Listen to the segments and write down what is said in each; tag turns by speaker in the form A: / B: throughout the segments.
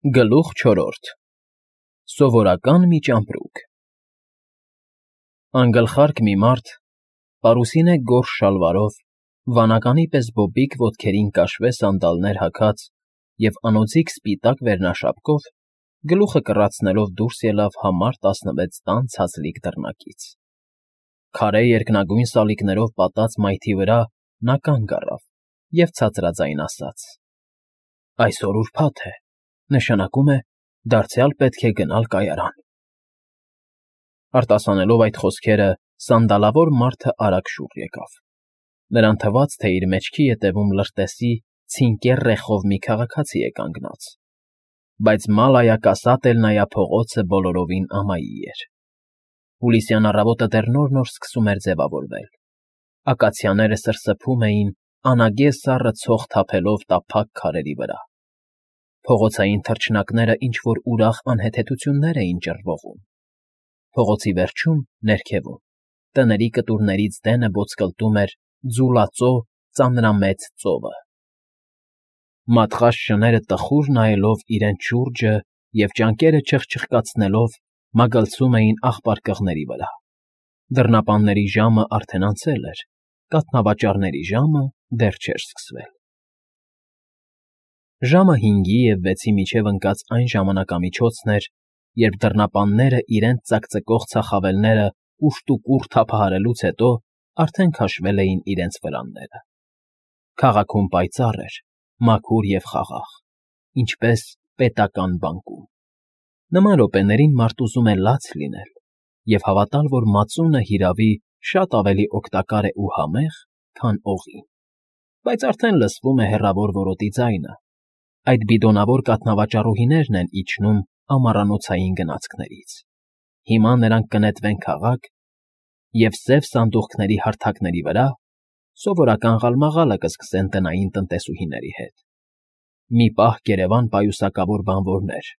A: Գլուխ 4 Սովորական մի ճամպրուկ Անգլխարկ մի մարդ, պարուսինե գորշ շալվարով, վանականի պես բոբիկ ոտքերին կաշվե սանդալներ հագած և անոձիք սպիտակ վերնաշապկով, գլուխը կռացնելով դուրս ելավ համար 16 տան ցածլիկ դռնակից. քարե երկնագույն սալիկներով պատած մայթի վրա նա կանգ առավ և ցածրաձայն ասաց. «Այսօր ուրբաթ է, նշանակում է, դարձյալ պետք է գնալ կայարան»։ Արտասանելով այդ խոսքերը, սանդալավոր մարդը արագ շուռ եկավ. նրան թվաց, թե իր մեջքի ետևում լրտեսի ցինկեռ ռեխով մի քաղաքացի է կանգնած, բայց մալայա-կասատ էլ նայա փողոցը բոլորովին ամայի էր։ Հուլիսյան առավոտը դեռ նոր-նոր սկսում էր ձևավորվել, ակացիաները սրսփում էին անագե սառը ցող թափելով տափակ քարերի վրա, փողոցային թռչնակները ինչ֊որ ուրախ անհեթեթություններ էին ճռվողում, փողոցի վերջում, ներքևում, տների կտուրներից դենը ոտսկլտում էր ձուլածո ծանրամեծ ծովը։ Մատղաշ շները տխուր նայելով իրենց շուրջը և ճանկերը չխչխկացնելով, մագլցում էին աղբարկղների վրա։ Դռնապանների ժամը արդեն անցել էր, կաթնավաճառների ժամը դեռ չէր սկսվել։ Ժամը 5-ի և 6-ի միջև ընկած այն ժամանակամիջոցն էր, երբ դռնապանները իրենց ծակծկող ծախավելները կուշտուկուռ թափահարելուց հետո արդեն քաշվել էին իրենց վրանները։ Քաղաքում պայծառ էր, մաքուր և խաղաղ, ինչպես պետական բանկում։ Նման րոպեներին մարդ ուզում է լաց լինել և հավատալ, որ մածունը, հիրավի, շատ ավելի օգտակար է ու համեղ, քան օղին, բայց արդեն լսվում է հեռավոր որոտի ձայնը, այդ բիդոնավոր կաթնավաճառուհիներն են իջնում ամառանոցային գնացքներից։ Հիմա նրանք կնետվեն քաղաք և սև սանդուղքների հարթակների վրա սովորական ղալմաղալը կսկսեն տնային տնտեսուհիների հետ։ Մի պահ կերևան պայուսակավոր բանվորներ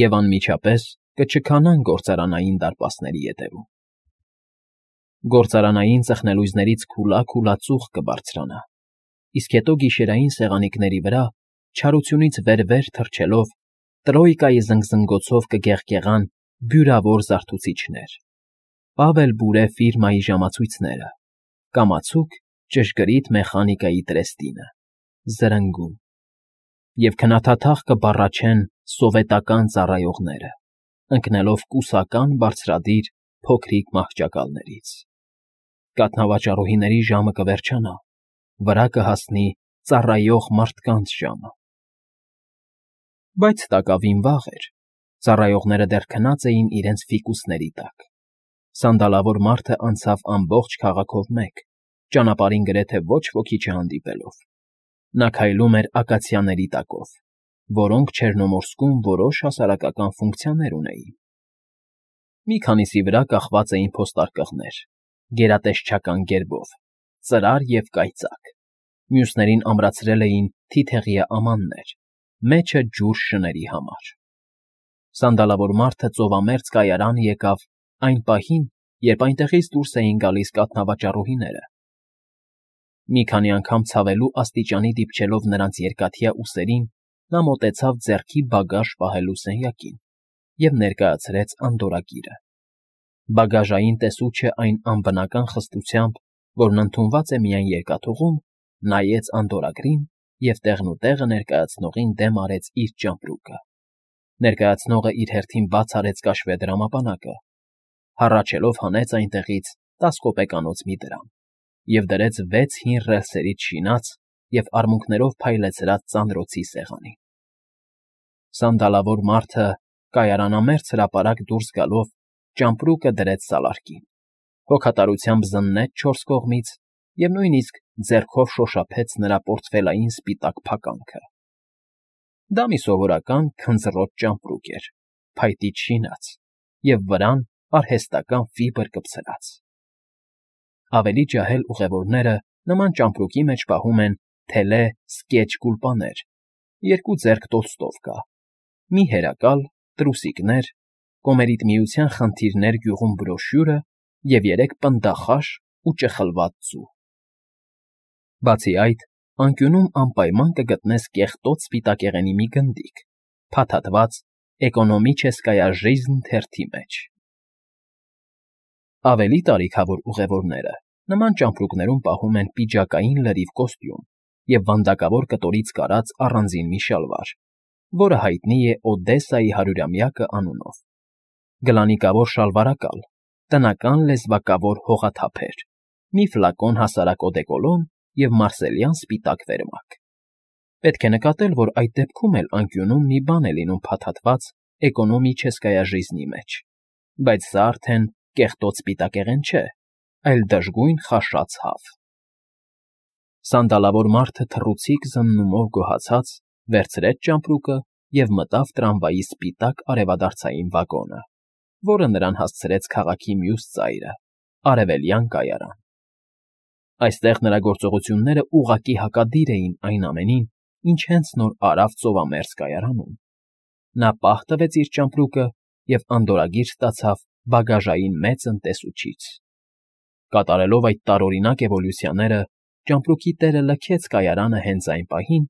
A: և անմիջապես կչքանան գործարանային դարպասների ետևում։ Գործարանային ծխնելույզներից քուլա ծուխ կբարձրանա, իսկ հետո գիշերային սեղանիկների վրա, չարությունից վեր թռչելով, տրոյկայի զնգզնգոցով կգեղգեղան բյուրավոր զարթուցիչներ, Պավել Բուրե ֆիրմայի ժամացույցները, կամացուկ ճշգրիտ մեխանիկայի տրեստինը, զրնգուն, և քնաթաթախ կբառաչեն սովետական ծառայողները, ընկնելով կուսական բարձրադիր փոքրիկ մահճակալներից։ Կաթնավաճառուհիների ժամը կվերջանա, վրա կհասնի ծառայող մարդկանց ժամը։ Բայց տակավին վաղ էր, ծառայողները դեռ քնած էին իրենց ֆիկուսների տակ։ Սանդալավոր մարդը անցավ ամբողջ քաղաքով մեկ, ճանապարհին գրեթե ոչ ոքի չհանդիպելով։ Նա քայլում էր ակացիաների տակով, որոնք Չեռնոմորսկում որոշ հասարակական ֆունկցիաներ ունեին։ Մի քանիսի վրա կախված էին փոստարկղներ, գերատեսչական գերբով, ծրար և կայծակ, մյուսներին ամրացրել էին թիթեղյա ամաններ, մեջը ջուր շների համար։ Սանդալավոր մարդը ծովամերձ կայարան եկավ այն պահին, երբ այնտեղից դուրս էին գալիս կաթնավաճառուհիները։ Մի քանի անգամ ցավելու աստիճանի դիպչելով նրանց երկաթյա ուսերին, նա մոտեցավ ձեռքի բագաժ պահելու սենյակին և ներկայացրեց անդորրագիրը։ Բագաժային տեսուչը այն անբնական խստությամբ, որն ընդունված է միայն երկաթուղում, նայեց անդորրագրին և տեղնուտեղը ներկայացնողին դեմ արեց իր ճամպրուկը։ Ներկայացնողը իր հերթին բաց արեց կաշվե դրամապանակը, հառաչելով հանեց այնտեղից 10 կոպեկանոց մի դրամ և դրեց 6 հին ռելսերից շինած և արմունկներով փայլեցրած ծանրոցի սեղանին։ Սանդալավոր մարդը կայարանամերձ հրապարակ դուրս գալով ճամպրուկը դրեց սալարկին, հոգատարությամբ զննեց 4 կողմից և նույնիսկ ձեռքով շոշափեց նրա պորտֆելային սպիտակ փականքը։ Դա մի սովորական քնձռոտ ճամպրուկ էր, փայտից շինած և վրան արհեստական ֆիբր կպցրած։ Ավելի ջահել ուղևորները նման ճամպրուկի մեջ պահում են թելե սկեչ գուլպաներ, 2 ձեռք տոլստովկա, մի հերակալ, տրուսիկներ, Կոմերիտ միության խնդիրներ գյուղում բրոշյուրը և 3 պնդախաշ ու ճխլված ձու։ Բացի այդ, անկյունում անպայման կգտնես կեղտոտ սպիտակեղենի մի գնդիկ, փաթաթված Էկոնոմիչեսկայա ժիզն թերթի մեջ։ Ավելի տարիքավոր ուղևորները նման ճամպրուկներում պահում են պիջակային լրիվ կոստյում և վանդակավոր կտորից կարած առանձին մի շալվար, որը հայտնի է Օդեսայի հարյուրամյակը անունով, գլանիկավոր շալվարակալ, տնական լեզվակավոր հողաթափեր, մի ֆլակոն հասարակ օդեկոլոն և մարսելյան սպիտակ վերմակ։ Պետք է նկատել, որ այդ դեպքում էլ անկյունում մի բան է լինում փաթաթված Էկոնոմիչեսկայա ժիզնի մեջ, բայց սա արդեն կեղտոտ սպիտակեղեն չէ, այլ դժգույն խաշած հավ։ Սանդալավոր մարդը թռուցիկ զննումով գոհացած վերցրեց ճամպրուկը և մտավ տրամվայի սպիտակ արևադարձային վագոնը, որը նրան հասցրեց քաղաքի մյուս ծայրը՝ Արևելյան կայարան։ Այստեղ նրա գործողությունները ուղղակի հակադիր էին այն ամենին, ինչ հենց նոր արավ ծովամերձ կայարանում։ Նա պահ տվեց իր ճամպրուկը և անդորրագիր ստացավ բագաժային մեծ անտեսուչից։ Կատարելով այդ տարօրինակ էվոլյուցիաները, ճամպրուկի տերը լքեց կայարանը հենց այն պահին,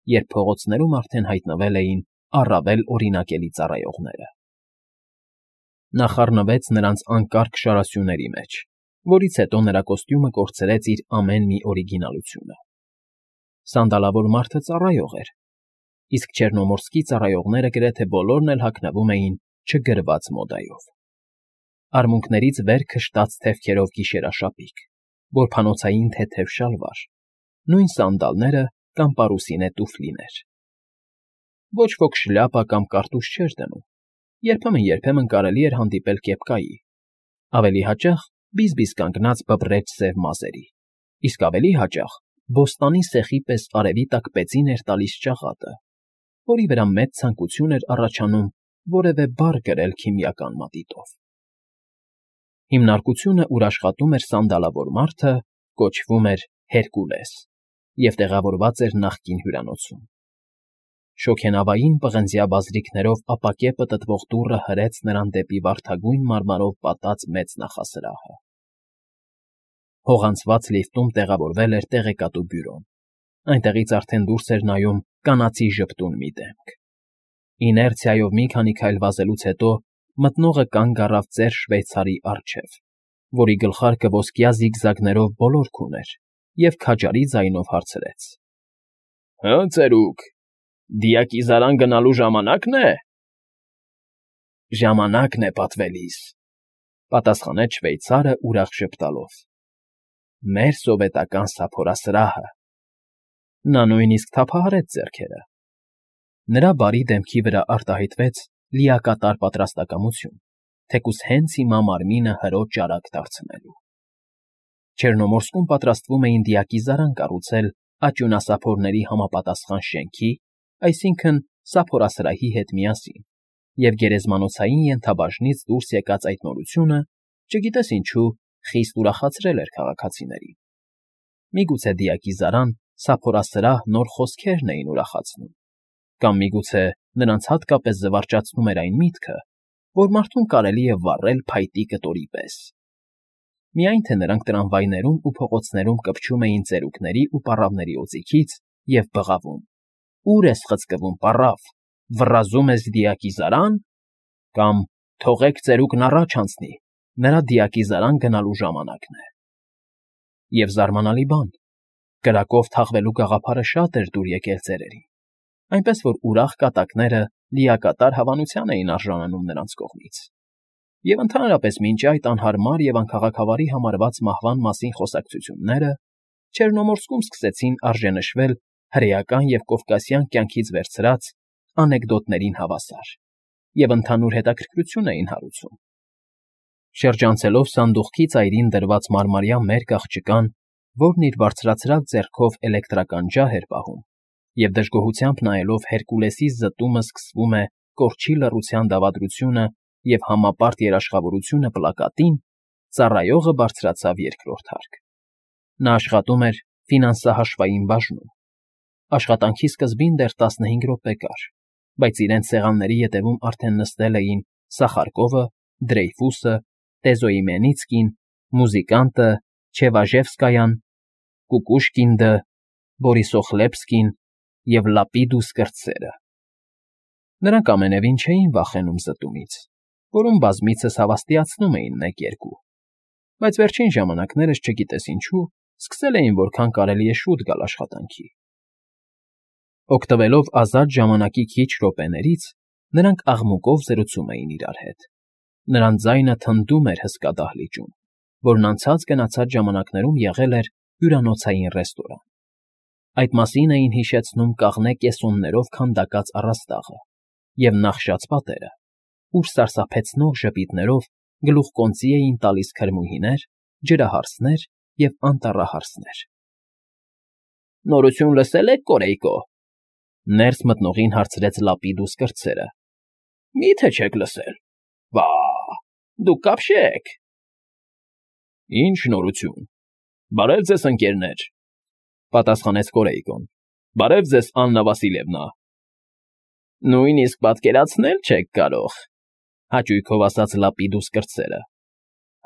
A: երբ փողոցներում արդեն հայտնվել էին առավել օրինակելի ծառայողները։ Նա խառնվեց նրանց անկարգ շարասյուների մեջ, որից հետո նրա կոստյումը կորցրեց իր ամեն մի օրիգինալությունը։ Սանդալավոր մարդը ծառայող էր, իսկ չեռնոմորսկի ծառայողները գրեթե բոլորն էլ հագնվում էին չգրված մոդայով։ Արմունկներից վեր քշտած թևքերով գիշերաշապիկ, որփանոցային թեթև շալվար, նույն սանդալները կամ պարուսինե տուֆլիներ։ Ոչ ոք շլյապա կամ կարտուզ չէր դնում, երբեմն կարելի էր հանդիպել կեպկայի, ավելի հաճախ բիզ-բիզ կանգնած բբռեչ սև մազերի, իսկ ավելի հաճախ բոստանի սեխի պես արևի տակ պեցին էր տալիս ճաղատը, որի վրա մեծ ցանկություն էր առաջանում որևէ բառ գրել քիմիական մատիտով։ Հիմնարկությունը, ուր աշխատում էր սանդալավոր մարդը, կոչվում էր Հերկուլես և տեղավորված էր նախկին հյուրանոցում։ Շոգենավային պղնձյա բազրիքներով ապակե պտտվող դուռը հրեց նրան դեպի վարդագույն մարմարով պատած մեծ նախասրահը։ Հողանցված լիֆտում տեղավորվել էր տեղեկատու բյուրոն, այնտեղից արդեն դուրս էր նայում կանացի ժպտուն մի դեմք։ Իներցիայով մի քանի քայլ վազելուց հետո մտնողը կանգ առավ ծեր շվեյցարի առջև, որի գլխարկը ոսկյա զիգզագներով բոլորք ուներ, և քաջարի ձայնով հարցրեց. «Հը, ծերուկ, դիակիզարան գնալու ժամանա՞կն է»։ «Ժամանակն է, պատվելիս», պատասխանեց շվեյցարը ուրախ ժպտալով։ «Մեր սովետական սափորասրահը»։ Նա նույնիսկ թափահարեց ձեռքերը։ Նրա բարի դեմքի վրա արտահայտվեց լիակատար պատրաստակամություն, թեկուզ հենց հիմա մարմինը հրո ճարակ դարձնելու։ Չեռնոմորսկում պատրաստվում էին դիակիզարան կառուցել աճյունասափորների համապատասխան շենքի, այսինքն սափորասրահի հետ միասին, և գերեզմանոցային ենթաբաժնից դուրս եկած այդ նորությունը, չգիտես ինչու, խիստ ուրախացրել էր քաղաքացիներին։ Միգուցե դիակիզարան, սափորասրահ նոր խոսքերն էին ուրախացնում, կամ միգուցե նրանց հատկապես զվարճացնում էր այն միտքը, որ մարդուն կարելի է վառել փայտի կտորի պես։ Միայն թե նրանք տրամվայներում ու փողոցներում կպչում էին ծերուկների ու պառավների օձիքից և բղավում. «Ո՞ւր ես խցկվում, պառավ, վռազում ես դիակիզարան» կամ «Թողեք ծերուկն առաջ անցնի, նրա դիակիզարան գնալու ժամանակն է»։ Եվ զարմանալի բան, կրակով թաղվելու գաղափարը շատ էր դուր եկել ծերերին, այնպես որ ուրախ կատակները լիակատար հավանության էին արժանանում նրանց կողմից։ Եվ ընդհանրապես մինչ այդ անհարմար և անքաղաքավարի համարված մահվան մասին խոսակցությունները Չեռնոմորսկում սկսեցին արժենշվել հրեական և կովկասյան կյանքից վերցրած անեկդոտներին հավասար և ընդհանուր հետաքրքրություն էին հարուցում։ Շրջանցելով սանդուղքի ծայրին դրված մարմարյա մերկ աղջկան, որն իր բարձրացրած ձեռքով էլեկտրական ջահ էր պահում, և դժգոհությամբ նայելով Հերկուլեսի զտումը սկսվում է կորչի լռության դավադրությունը և համապարտ երաշխավորությունը պլակատին, ծառայողը բարձրացավ երկրորդ հարկ։ Նա աշխատում էր ֆինանսահաշվային բաժնում։ Աշխատանքի սկզբին դեռ 15 րոպե կար, բայց իրենց սեղանների ետևում արդեն նստել էին Սախարկովը, Դրեյֆուսը, Տեզոյմենիցկին, Մուզիկանտը, Չևաժևսկայան, Կուկուշկինդը, Բորիսոխլեպսկին և Լապիդուս կրտսերը։ Նրանք ամենևին չէին վախենում զտումից, որում բազմիցս հավաստիացնում էին 1-2, բայց վերջին ժամանակներս չգիտես ինչու սկսել էին որքան կարելի է շուտ գալ աշխատանքի։ Օգտվելով ազատ ժամանակի քիչ րոպեներից, նրանք աղմուկով զրուցում էին իրար հետ։ Նրանց ձայնը թնդում էր հսկա դահլիճում, որն անցած-գնացած ժամանակներում եղել էր հյուրանոցային ռեստորան։ Այդ մասին էին հիշեցնում կաղնե կեսոններով քանդակած առաստաղը և նախշած պատերը, ուր սարսափեցնող ժպիտներով գլուխկոնծի էին տալիս քրմուհիներ, ջրահարսներ և անտառահարսներ։ «Նորություն լսե՞լ եք, Կորեյկո,֊ ներս մտնողին հարցրեց Լապիդուս կրտսերը։ Մի՞թե չեք լսել։ Վա՜, դուք կապշեք։ Ինչ նորություն։ Բարև ձեզ, ընկերներ,֊ պատասխանեց Կորեյկոն։ Բարև ձեզ, Աննա Վասիլևնա։ Նույնիսկ պատկերացնել չեք կարող,֊ հաճույքով ասաց Լապիդուս կրտսերը։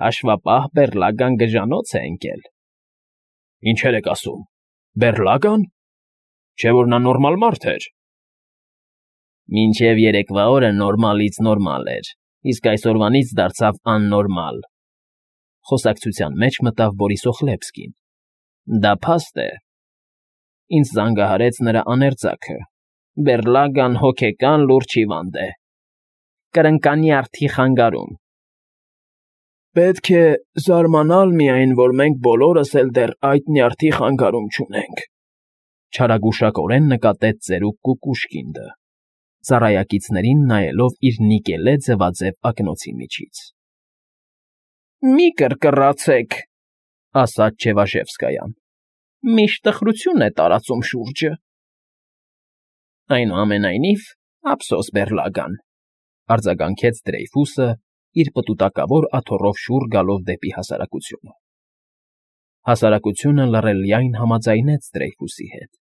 A: Հաշվապահ Բեռլագան գժանոց է ընկել։ Ինչեր եք ասում, Բեռլագա՞ն։ Չէ՞ որ նա նորմալ մարդ էր։ Մինչև երեկվա օրը նորմալից նորմալ էր, իսկ այսօրվանից դարձավ աննորմալ,֊ խոսակցության մեջ մտավ Բորիսոխլեպսկին։ Դա փաստ է։ Ինձ զանգահարեց նրա աներձակը։ Բեռլագան հոգեկան լուրջ հիվանդ է։ Կրնկանի արդի խանգարում։ Պետք է զարմանալ միայն, որ մենք բոլորս էլ դեռ այդ նյարդի խանգարում չունենք,֊ չարագուշակորեն նկատեց ծերուկ Կուկուշկինդը, ծառայակիցներին նայելով իր նիկելե ձվաձև ակնոցի միջից։ Մի կռկռացեք,֊ ասաց Չևաշևսկայան։ Միշտ տխրություն է տարածում շուրջը։ Այնուամենայնիվ, ափսոս Բեռլագան,֊ արձագանքեց Դրեյֆուսը, իր պտուտակավոր աթոռով շուռ գալով դեպի հասարակությունը։ Հասարակությունը լռելյայն համաձայնեց Դրեյֆուսի հետ։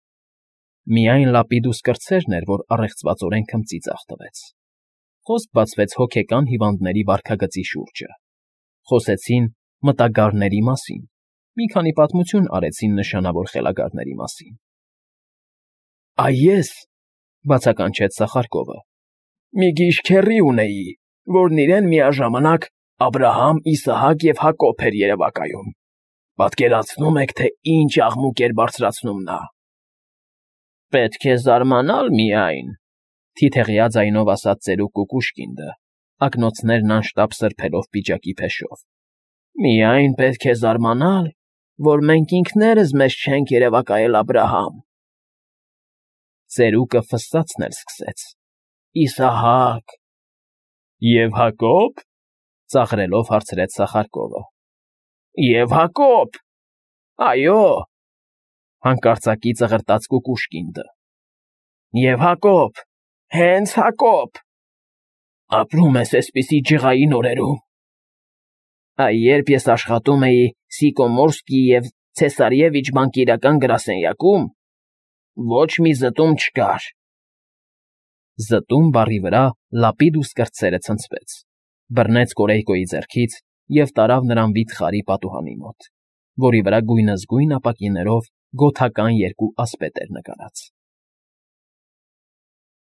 A: Միայն Լապիդուս կրտսերն էր, որ առեղծվածորեն քմծիծաղ տվեց։ Խոսք բացվեց հոգեկան հիվանդների վարքագծի շուրջը։ Խոսեցին մտագարների մասին, մի քանի պատմություն արեցին նշանավոր խելագարների մասին։ Ես,֊ բացականչեց Սախարկովը,֊ մի գիժ քեռի ունեի, որն իրեն միաժամանակ Աբրահամ, Իսահակ և Հակոբ էր երևակայում։ Պատկերացնո՞ւմ եք, թե ինչ աղմուկ էր բարձրացնում նա։ Պետք է զարմանալ միայն,֊ թիթեղյա ձայնով ասաց ծերուկ Կուկուշկինդը, ակնոցներն անշտապ սրբելով պիջակի փեշով։ Միայն պետք է զարմանալ, որ մենք ինքներս մեզ չենք երևակայել Աբրահամ։ Ծերուկը ֆսսացնել սկսեց։ Իսահակ… Եվ Հակոբ,֊ ծաղրելով հարցրեց Սախարկովը։ Եվ Հակոբ… Այո,֊ հանկարծակի ծղրտաց Կուկուշկինդը։ Եվ Հակոբ… Հենց Հակոբ… Ապրում ես էսպիսի ջղային օրերում։ Երբ ես աշխատում էի Սիկոմորսկի և Ցեսարևիչ բանկիրական գրասենյակում, ոչ մի զտում չկար։ Զտում բառի վրա Լապիդուս կրտսերը ցնցվեց, բռնեց Կորեյկոյի ձեռքից և տարավ նրան վիթխարի պատուհանի մոտ, որի վրա գույնզգույն ապակիներով գոթական երկու ասպետ էր նկարած։